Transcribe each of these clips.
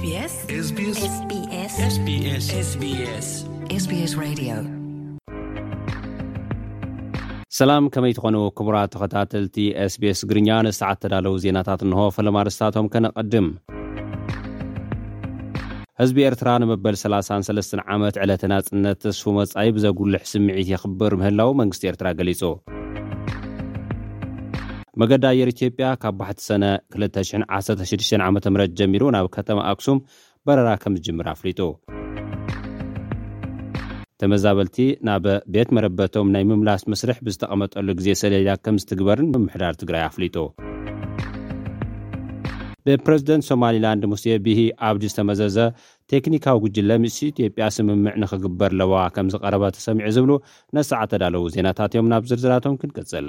SBS SBS SBS SBS SBS Radio. ሰላም፣ ከመይ ትኾኑ ክቡራት ተኸታተልቲ SBS ግርኛ? ንሰዓት ተዳለዉ ዜናታት እንሆ። ፈለማ ኣርእስታቶም ከነቐድም። ህዝቢ ኤርትራ ንመበል ሰላሳን ሰለስተን ዓመት ዕለተ ናጽነት ተስፉ መጻኢ ብዘጉልሕ ስምዒት የኽብር ምህላው መንግስቲ ኤርትራ ገሊጹ። መገዲ ኣየር ኢትዮጵያ ካብ ባሕቲ ሰነ ክልተ ሽሕን ዓሰርተ ሽዱሽተን ዓመተ ምህረት ጀሚሩ ናብ ከተማ ኣክሱም በረራ ከም ዝጅምር ኣፍሊጡ። ተመዛበልቲ ናብ ቤት መረበቶም ናይ ምምላስ መስርሕ ብዝተቐመጠሉ ግዜ ሰሌዳ ከም ዝትግበርን ምምሕዳር ትግራይ ኣፍሊጡ። ብፕረዚደንት ሶማሊላንድ ሙሴ ቢሂ ኣብዲ ዝተመዘዘ ቴክኒካዊ ጉጅለ ምስ ኢትዮጵያ ስምምዕ ንኽግበር ለበዋ ከም ዝቐረበ ተሰሚዑ ዝብሉ ነሰዓት ተዳለዉ ዜናታት እዮም። ናብ ዝርዝራቶም ክንቅጽል።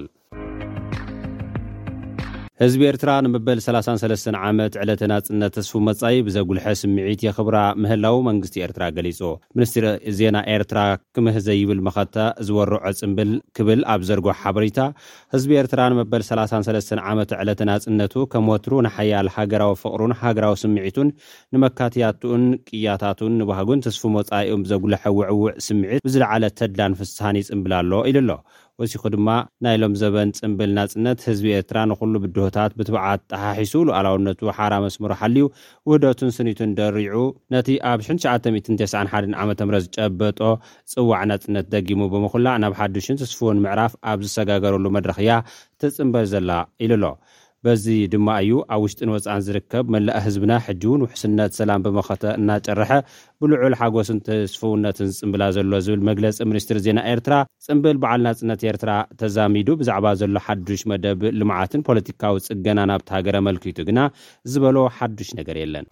ህዝቢ ኤርትራ ንመበል ሰላሳን ሰለስተን ዓመት ዕለተ ናጽነት ተስፉ መጻኢ ብዘጉልሐ ስምዒት የኽብራ ምህላው መንግስቲ ኤርትራ ገሊጹ። ሚኒስትሪ ዜና ኤርትራ ክምህ ዘይብል መኸተ ዝወርዖ ጽምብል ክብል ኣብ ዘርጎ ሓበሬታ፣ ህዝቢ ኤርትራ ንመበል ሰላሳን ሰለስተን ዓመት ዕለተ ናጽነቱ ከም ወትሩ ንሓያል ሃገራዊ ፍቕሩን ሃገራዊ ስምዒቱን ንመካትያቱን ቅያታቱን ንባህጉን ተስፉ መጻኢኡን ብዘጉልሐ ውዕውዕ ስምዒት ብዝለዓለ ተድላን ፍስሃን ይጽምብል ኣሎ ኢሉ ኣሎ። ወሲኹ ድማ፣ ናይ ሎም ዘበን ጽምብል ናጽነት ህዝቢ ኤርትራ ንኹሉ ብድሆታት ብትብዓት ጠሓሒሱ፣ ሉዓላውነቱ ሓራ መስመሩ ሓልዩ፣ ውህደቱን ስኒቱን ደሪዑ፣ ነቲ ኣብ ሽሕን ትሽዓተ ሚእትን ተስዓን ሓደን ዓመተ ምህረት ዝጨበጦ ጽዋዕ ናጽነት ደጊሙ ብምኹላዕ፣ ናብ ሓድሽን ተስፍዎን ምዕራፍ ኣብ ዝሰጋገረሉ መድረኽ እያ ትጽምበል ዘላ ኢሉ ኣሎ። በዚ ድማ እዩ ኣብ ውሽጥን ወጻእን ዝርከብ መላእ ህዝብና ሕጂ እውን ውሕስነት ሰላም ብመኸተ እናጨርሐ ብልዑል ሓጎስን ተስፍውነትን ዝጽምብላ ዘሎ ዝብል መግለጺ ሚኒስትሪ ዜና ኤርትራ፣ ጽምብል በዓል ናጽነት ኤርትራ ተዛሚዱ ብዛዕባ ዘሎ ሓዱሽ መደብ ልምዓትን ፖለቲካዊ ጽገናን ኣብቲ ሃገር ኣመልኪቱ ግና ዝበሎ ሓዱሽ ነገር የለን።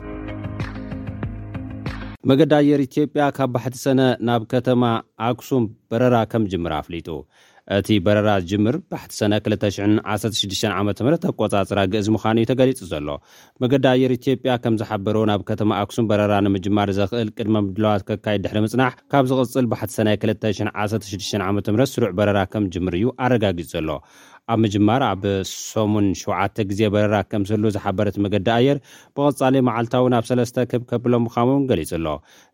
መገዲ ኣየር ኢትዮጵያ ካብ ባሕቲ ሰነ ናብ ከተማ ኣክሱም በረራ ከም ዝጅምር ኣፍሊጡ። እቲ በረራ ዝጅምር ባሕቲ ሰነ ክልተ ሽሕን ዓሰርተ ሽዱሽተን ዓመተ ምህረት ኣቆጻጽራ ግእዝ ምዃኑ እዩ ተገሊጹ ዘሎ። መገዲ ኣየር ኢትዮጵያ ከም ዝሓበሮ፣ ናብ ከተማ ኣክሱም በረራ ንምጅማር ዘኽእል ቅድመ ምድላዋት ከካይድ ድሕሪ ምጽናሕ፣ ካብ ዝቕጽል ባሕቲ ሰነ ክልተ ሽሕን ዓሰርተ ሽዱሽተን ዓመተ ምህረት ስሩዕ በረራ ከም ዝጅምር እዩ ኣረጋጊጹ ዘሎ። ኣብ ምጅማር ኣብ ሰሙን ሸውዓተ ግዜ በረራ ከም ዝህሉ ዝሓበረት መገዲ ኣየር፣ ብቐጻሊ መዓልታዊ ናብ ሰለስተ ክብ ከብሎ ምዃኑ እውን ገሊጹ ኣሎ።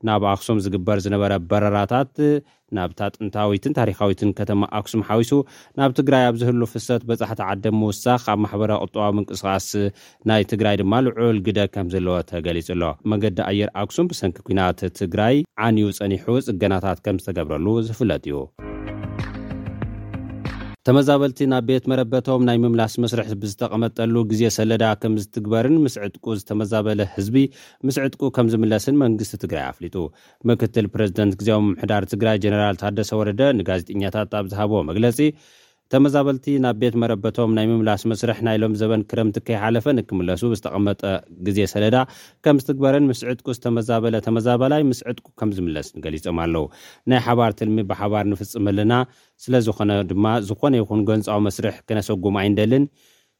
ናብ ኣክሱም ዝግበር ዝነበረ በረራታት፣ ናብታ ጥንታዊትን ታሪኻዊትን ከተማ ኣክሱም ሓዊሱ፣ ናብ ትግራይ ኣብ ዝህሉ ፍሰት በጻሕቲ ዓደም ምውሳኽ፣ ኣብ ማሕበራዊ ቁጠባዊ ምንቅስቓስ ናይ ትግራይ ድማ ልዑል ግደ ከም ዘለዎ ተገሊጹ ኣሎ። መገዲ ኣየር ኣክሱም ብሰንኪ ኲናት ትግራይ ዓንዩ ጸኒሑ፣ ጽገናታት ከም ዝተገብረሉ ዝፍለጥ እዩ። ተመዛበልቲ ናብ ቤት መረበቶም ናይ ምምላስ መስርሕ ብዝተቐመጠሉ ግዜ ሰለዳ ከም ዝትግበርን፣ ምስ ዕጥቁ ዝተመዛበለ ህዝቢ ምስ ዕጥቁ ከም ዝምለስን መንግስቲ ትግራይ ኣፍሊጡ። ምክትል ፕረዚደንት ግዜያዊ ምምሕዳር ትግራይ ጀነራል ታደሰ ወረደ ንጋዜጠኛታት ኣብ ዝሃብዎ መግለጺ፣ ተመዛበልቲ ናብ ቤት መረበቶም ናይ ምምላስ መስርሕ ናይ ሎም ዘበን ክረምቲ ከይሓለፈ ንክምለሱ ብዝተቐመጠ ግዜ ሰለዳ ከም ዝትግበርን፣ ምስ ዕጥቁ ዝተመዛበለ ተመዛበላይ ምስ ዕጥቁ ከም ዝምለስን ገሊጾም ኣለዉ። ናይ ሓባር ትልሚ ብሓባር ንፍጽም ኣለና። ስለ ዝኾነ ድማ፣ ዝኾነ ይኹን ጎንጻዊ መስርሕ ክነሰጉም ኣይንደልን።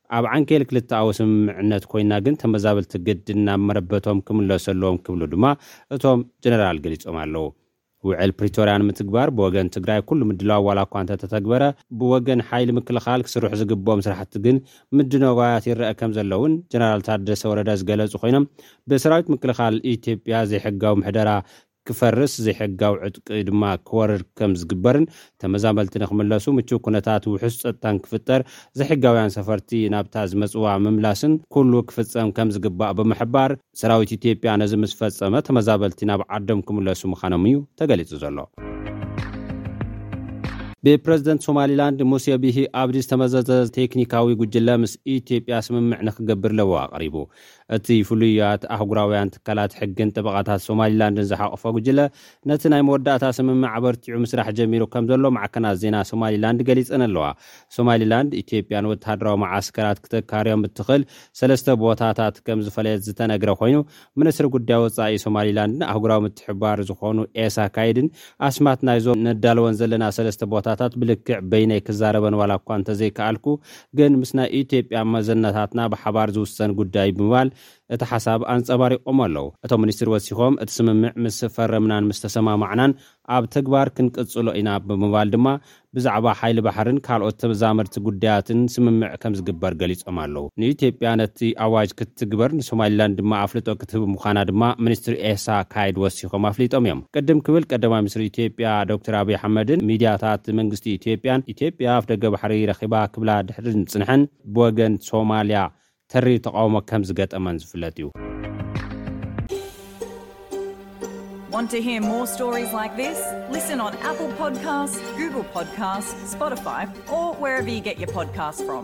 ኣብ ዓንኬል ክልተኣዊ ስምምዕነት ኮይና ግን፣ ተመዛበልቲ ግድን ናብ መረበቶም ክምለሱ ኣለዎም ክብሉ ድማ እቶም ጀነራል ገሊጾም ኣለዉ። ውዕል ፕሪቶርያ ንምትግባር ብወገን ትግራይ ኩሉ ምድላው ዋላ እኳ እንተተተግበረ፣ ብወገን ሓይሊ ምክልኻል ክስርሑ ዝግብኦም ስራሕቲ ግን ምድንጓያት ይረአ ከም ዘሎ እውን ጀነራል ታደሰ ወረደ ዝገለጹ ኮይኖም፣ ብሰራዊት ምክልኻል ኢትዮጵያ ዘይሕጋዊ ምሕደራ ክፈርስ፣ ዘይሕጋዊ ዕጥቂ ድማ ክወርድ ከም ዝግበርን፣ ተመዛመልቲ ንክምለሱ ምቹው ኩነታት ውሑስ ጸጥታን ክፍጠር፣ ዘይሕጋውያን ሰፈርቲ ናብታ ዝመጽዋ ምምላስን ኩሉ ክፍጸም ከም ዝግባእ ብምሕባር፣ ሰራዊት ኢትዮጵያ ነዚ ምስ ፈጸመ፣ ተመዛበልቲ ናብ ዓዶም ክምለሱ ምዃኖም እዩ ተገሊጹ ዘሎ። ብፕረዚደንት ሶማሊላንድ ሙሴ ቢሂ ኣብዲ ዝተመዘዘ ቴክኒካዊ ጉጅለ ምስ ኢትዮጵያ ስምምዕ ንክገብር ለበዋ ኣቕሪቡ። እቲ ፍሉያት ኣህጉራውያን ትካላት ሕግን ጠበቓታት ሶማሊላንድን ዝሓቖፈ ጉጅለ፣ ነቲ ናይ መወዳእታ ስምምዕ ኣበርቲዑ ምስራሕ ጀሚሩ ከም ዘሎ ማዕከናት ዜና ሶማሊላንድ ገሊጸን ኣለዋ። ሶማሊላንድ፣ ኢትዮጵያ ንወተሃደራዊ መዓስከራት ክተካርዮም እትኽእል ሰለስተ ቦታታት ከም ዝፈለየት ዝተነግረ ኮይኑ፣ ሚኒስትሪ ጉዳይ ወጻኢ ሶማሊላንድን ኣህጉራዊ ምትሕብባር ዝኾኑ ኤሳ ካይድን፣ ኣስማት ናይዞም ነዳልወን ዘለና ሰለስተ ቦታታት ብልክዕ በይነይ ክዛረበን ዋላ እኳ እንተዘይከኣልኩ፣ ግን ምስ ናይ ኢትዮጵያ መዘናታትና ብሓባር ዝውሰን ጉዳይ ብምባል እቲ ሓሳብ ኣንጸባሪቖም ኣለዉ። እቶም ሚኒስትር ወሲኾም፣ እቲ ስምምዕ ምስ ፈረምናን ምስ ተሰማማዕናን ኣብ ተግባር ክንቅጽሎ ኢና ብምባል ድማ ብዛዕባ ሓይሊ ባሕርን ካልኦት ተዛመድቲ ጉዳያትን ስምምዕ ከም ዝግበር ገሊጾም ኣለዉ። ንኢትዮጵያ ነቲ ኣዋጅ ክትትግበር ንሶማሊላንድ ድማ ኣፍልጦ ክትህብ ምዃና ድማ ሚኒስትር ኤሳ ካይድ ወሲኾም ኣፍሊጦም እዮም። ቅድም ክብል ቀዳማይ ሚኒስትር ኢትዮጵያ ዶክተር ኣብይ ኣሕመድን ሚድያታት መንግስቲ ኢትዮጵያን ኢትዮጵያ ኣፍደገ ባሕሪ ረኺባ ክብላ ድሕሪ ምጽንሐን ብወገን ሶማሊያ ተሪር ተቓውሞ ከም ዝገጠመን ዝፍለጥ እዩ። Want to hear more stories like this? Listen on Apple Podcasts, Google Podcasts, Spotify, or wherever you get your podcasts from.